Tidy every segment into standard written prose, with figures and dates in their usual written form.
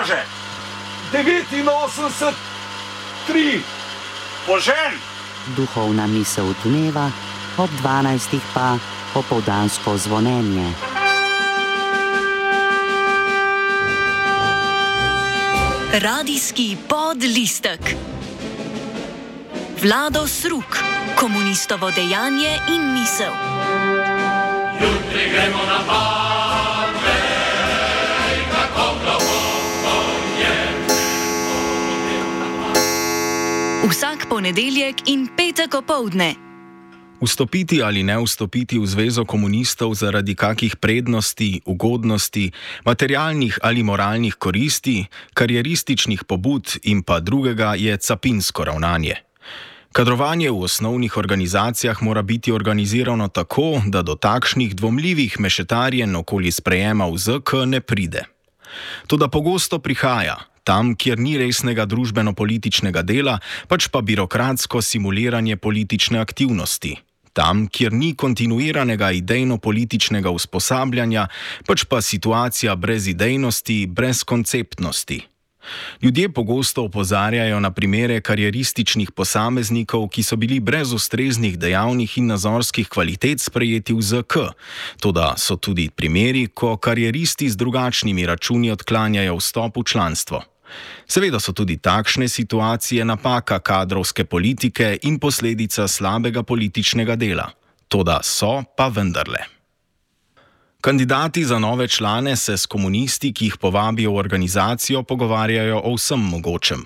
kaže? 89, 3. Požen! Duhovna misel dneva, ob 12. pa popoldansko zvonjenje. Radijski podlistek. Vlado Sruk, komunistovo dejanje in misel. Jutri gremo na Pave, kako globoko je. Vsak ponedeljek in petek opoldne. Vstopiti ali ne vstopiti v zvezo komunistov zaradi kakih prednosti, ugodnosti, materialnih ali moralnih koristi, karierističnih pobud in pa drugega je capinsko ravnanje. Kadrovanje v osnovnih organizacijah mora biti organizirano tako, da do takšnih dvomljivih mešetarjenj okoli sprejema v ZK ne pride. Toda pogosto prihaja, tam, kjer ni resnega družbeno-političnega dela, pač pa birokratsko simuliranje politične aktivnosti. Tam, kjer ni kontinuiranega idejno-političnega usposabljanja, pač pa situacija brez idejnosti, brez konceptnosti. Ljudje pogosto opozarjajo na primere karierističnih posameznikov, ki so bili brez ustreznih dejavnih in nazorskih kvalitet sprejeti v ZK, toda so tudi primeri, ko karieristi z drugačnimi računi odklanjajo vstop v članstvo. Seveda so tudi takšne situacije napaka kadrovske politike in posledica slabega političnega dela. Toda so pa vendarle. Kandidati za nove člane se s komunisti, ki jih povabijo v organizacijo, pogovarjajo o vsem mogočem.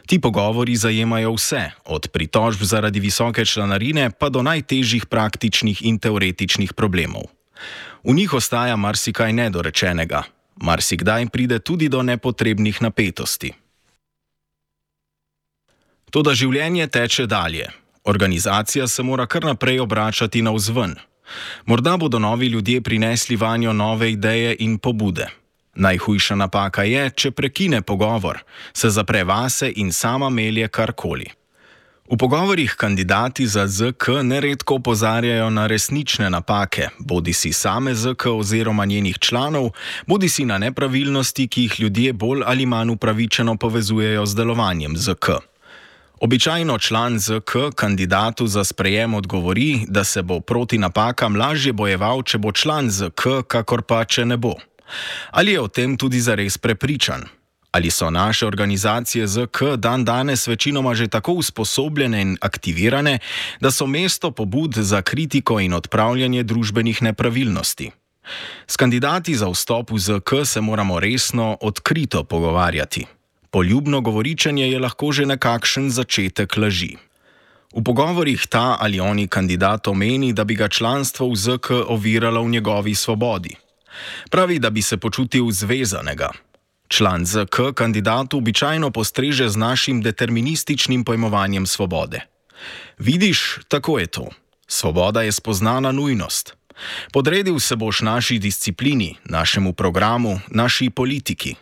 Ti pogovori zajemajo vse, od pritožb zaradi visoke članarine pa do najtežjih praktičnih in teoretičnih problemov. V njih ostaja marsikaj nedorečenega. Marsikdaj pride tudi do nepotrebnih napetosti. Toda življenje teče dalje. Organizacija se mora kar naprej obračati navzven. Morda bodo novi ljudje prinesli vanjo nove ideje in pobude. Najhujša napaka je, če prekine pogovor, se zapre vase in sama melje karkoli. V pogovorih kandidati za ZK neredko opozarjajo na resnične napake, bodisi same ZK oziroma njenih članov, bodisi na nepravilnosti, ki jih ljudje bolj ali manj upravičeno povezujejo z delovanjem ZK. Običajno član ZK kandidatu za sprejem odgovori, da se bo proti napakam lažje bojeval, če bo član ZK, kakor pa, če ne bo. Ali je o tem tudi zares prepričan? Ali so naše organizacije ZK dan danes večinoma že tako usposobljene in aktivirane, da so mesto pobud za kritiko in odpravljanje družbenih nepravilnosti? S kandidati za vstop v ZK se moramo resno, odkrito pogovarjati. Poljubno govoričenje je lahko že nekakšen začetek laži. V pogovorih ta ali oni kandidat omeni, da bi ga članstvo v ZK oviralo v njegovi svobodi. Pravi, da bi se počutil zvezanega. Član ZK kandidatu običajno postreže z našim determinističnim pojmovanjem svobode. Vidiš, tako je to. Svoboda je spoznana nujnost. Podredil se boš naši disciplini, našemu programu, naši politiki.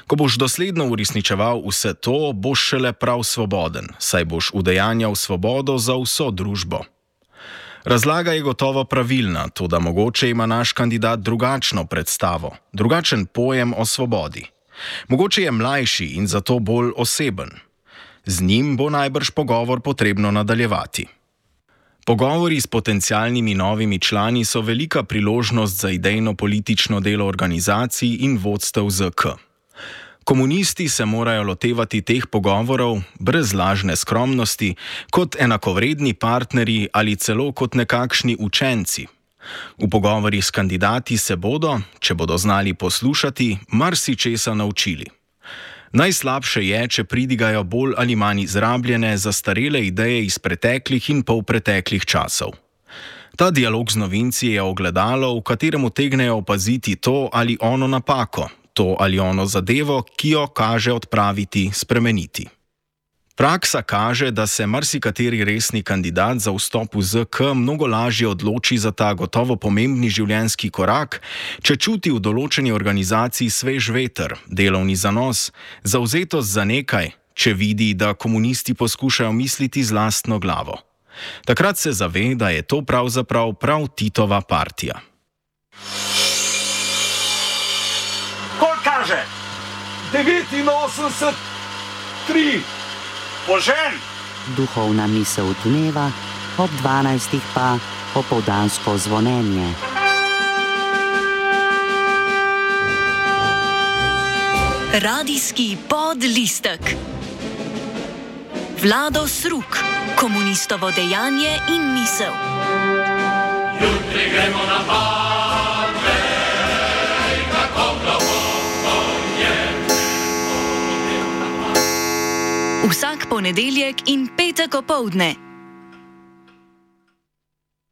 Ko boš dosledno uresničeval vse to, boš šele prav svoboden, saj boš udejanjal svobodo za vso družbo. Razlaga je gotovo pravilna, toda mogoče ima naš kandidat drugačno predstavo, drugačen pojem o svobodi. Mogoče je mlajši in zato bolj oseben. Z njim bo najbrž pogovor potrebno nadaljevati. Pogovori s potencialnimi novimi člani so velika priložnost za idejno-politično delo organizacij in vodstev ZK. Komunisti se morajo lotevati teh pogovorov brez lažne skromnosti, kot enakovredni partnerji ali celo kot nekakšni učenci. V pogovorih s kandidati se bodo, če bodo znali poslušati, marsičesa naučili. Najslabše je, če pridigajo bolj ali manj izrabljene, zastarele ideje iz preteklih in polpreteklih časov. Ta dialog z novinci je ogledalo, v katerem utegnejo opaziti to ali ono napako, to ali ono zadevo, ki jo kaže odpraviti, spremeniti. Praksa kaže, da se marsikateri resni kandidat za vstop v ZK mnogo lažje odloči za ta gotovo pomembni življenjski korak, če čuti v določeni organizaciji svež veter, delovni zanos, zavzetost za nekaj, če vidi, da komunisti poskušajo misliti z lastno glavo. Takrat se zave, da je to pravzaprav prav Titova partija. Koliko kaže? 89, 3. Požen! Duhovna misel dneva, ob 12. pa popoldansko zvonjenje. Radijski podlistek. Vlado Sruk, komunistovo dejanje in misel. Jutri gremo na Badvej, kako globoko je. Vsak ponedeljek in petek opoldne.